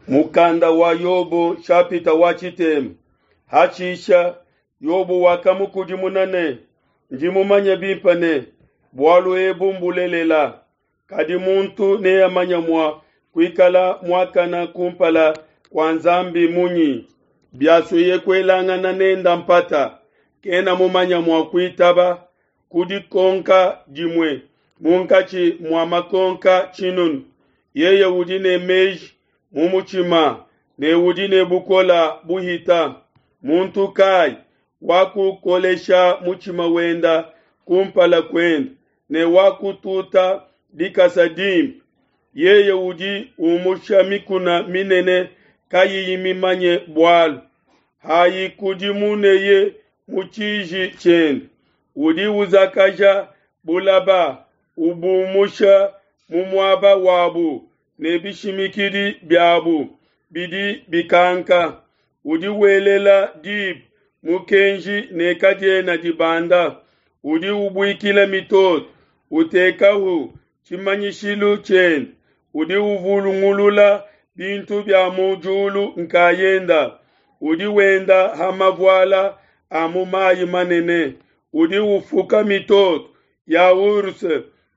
Mukanda wa Yobo nshapita wa tshitema. Hashisha Yobo wakamukudimuna ne, Ndi mumanye bimpe ne, bualu ebu mbulelela, kadi muntu neamanye mua kuikala muakane kumpala kua Nzambi munyi? Biasueye kuelangana nenda mpata, kena mumanye mua kuitaba ku dikonka dimue munkatshi mua makonka tshinunu. Yeye udi ne meji mu mutshima ne udi ne bukole buhita. Muntu kai wakukolesha mutshima wenda kumpala kuende ne wakututa dikasa dimpe? Yeye udi umusha mikuna minene kayiyi mimanye bualu, hayikudimuneye mu tshiji tshiende. Udi uzakaja bulaba, ubumusha mu muaba wabu ne bishimikidi biabu bidi bikanka. Udi welela diba mukenji ne kadiena dibanda. Udi ubuikila mitoto, utekahu tshimanyishilu tshiende. Udi uvulungulula bintu bia mu diulu nkayenda. Udi wenda ha mavuala a mu mayi manene. Udi ufuka mitoto ya ours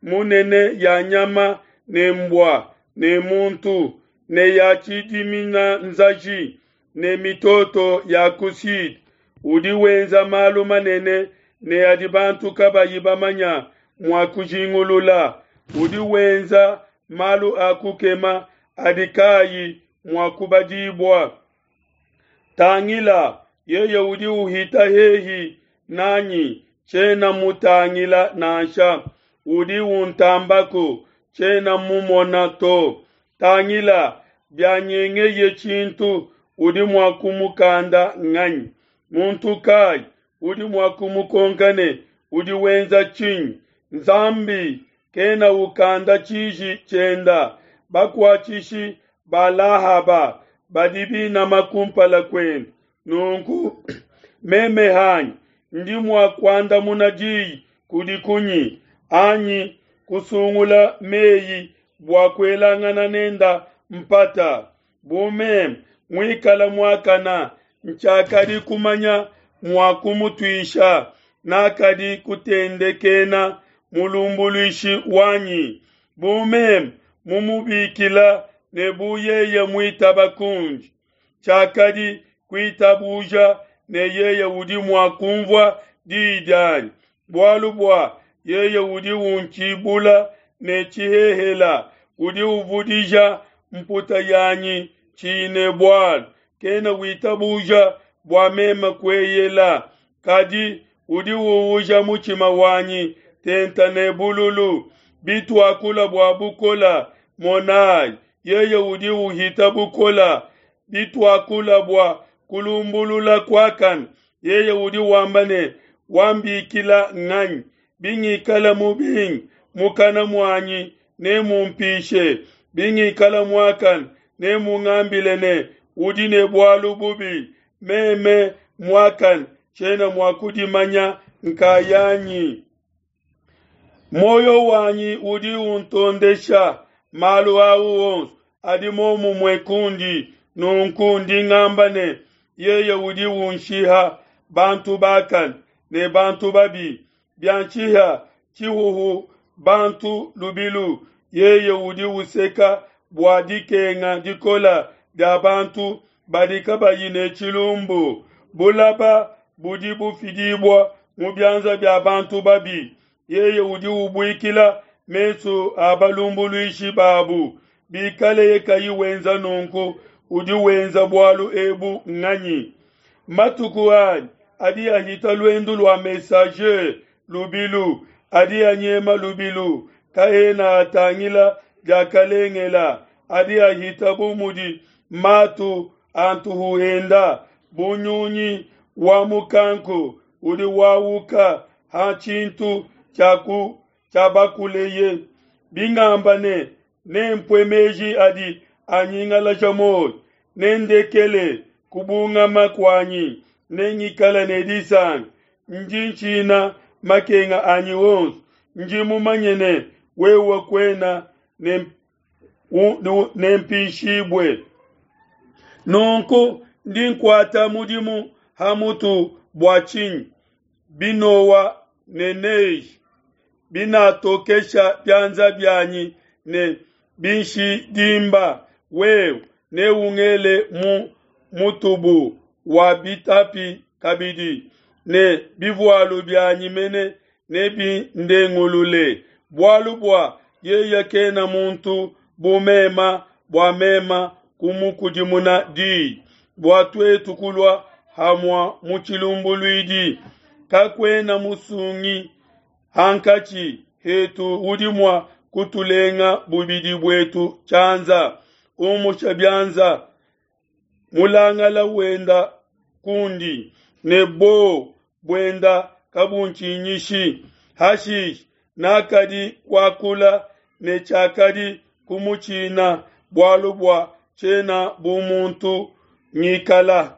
munene ya nyama ne mbua ne muntu ne ya tshidimina nzaji ne mitoto ya ku sud. Udi wenza malu manene ne adi bantu kabayi bamanya mua kujingulula. Udi wenza malu a kukema adi kayi mua kubadibua. Tangila, yeye udi uhita hehi nanyi, tshiena mutangila nansha. Udi untambako, tshiena mumona to. Tangila, bianyengeye tshintu, udi mua kumukanda nganyi? Muntu kai udi mua kumukonka ne, Udi wenza tshinyi? Nzambi kena ukanda tshiji tshienda. Bakuatshishi ba Lahaba badi binama kumpala kuende. Nunku meme hanyi ndi mua kuandamuna diyi kudi kunyi, anyi kusungula meyi bua kuelangana nenda mpata? Bu meme muikala muakana, ntshiakadi kumanya mua kumutuisha, nakadi kutendekena mulumbuluishi wanyi. Bu meme mumubikila ne bu yeye muitaba kundi, tshiakadi kuitabuja ne yeye udi mua kumvua diyi dianyi, bualu bua yeye udi untshibula ne tshihehela, udi uvudija mputa yanyi tshiyi ne bualu. Kena witabuja bua meme kueyela, kadi udi uuja mutshima wanyi tenta ne bululu. Bituakula bua bukola, monai, yeye udi uhita bukola. Bituakula bua kulumbulula kuakane, yeye udi wamba ne, Wambikila nganyi? Bingikala mubinge, mukana muanyi nemumpishe. Bingikala muakane, nemungambile ne, Udi ne bualu bubi. Meme muakane tshiena mua kudimanya nkayanyi. Muoyo wanyi udi untondesha, malu au onso adi momumue kundi. Nunku ndi ngamba ne, Yeye udi unshiha bantu bakane ne bantu babi. Bianshiha tshihuhu bantu lubilu, yeye udi useka bua dikenga dikole dia bantu badi kabayi ne tshilumbu. Bulaba budi bufidibua mu bianza bia bantu babi, yeye udi ubuikila mesu a balumbuluishi babu. Bikaleye kayi wenza nunku, udi wenza bualu ebu nganyi? Matuku anyi adi ahita luendu lua messager lubilu, adi anyema lubilu, kaena atangila diakalengela, adi ahita bu mudi matu a ntuhu enda, bu nyunyi wa mukanku udi wauka ha tshintu tshiabakuleye. Bingamba ne, Nempue meji adi anyingalaja muoyo, nendekele kubungama kuanyi, nengikale ne disanka. Ndi ntshina makenga anyi onso, ndi mumanye ne, wewe kuena nempishibue. Nunku ndi nkuata mudimu ha mutu bua tshinyi? Binowa ne neige binatokesha bianza bianyi ne binshidimba, wewe neungele mu mutubu wa bitapi kabidi, ne bivualu bianyi mene nebindengulule. Bualu bua yeye kena muntu bu mema bua mema kumukudimuna diyi, bua tuetu kulua hamua mu tshilumbuluidi. Kakuena musungi hankatshi hetu udi mua kutulenga bubidi buetu tshianza. Umusha bianza mulangala wenda kundi, ne bo buenda kabuntshinyishi. Hashishe nakadi kuakula ne tshiakadi kumutshina, bualu bua tshiena bu muntu ngikala.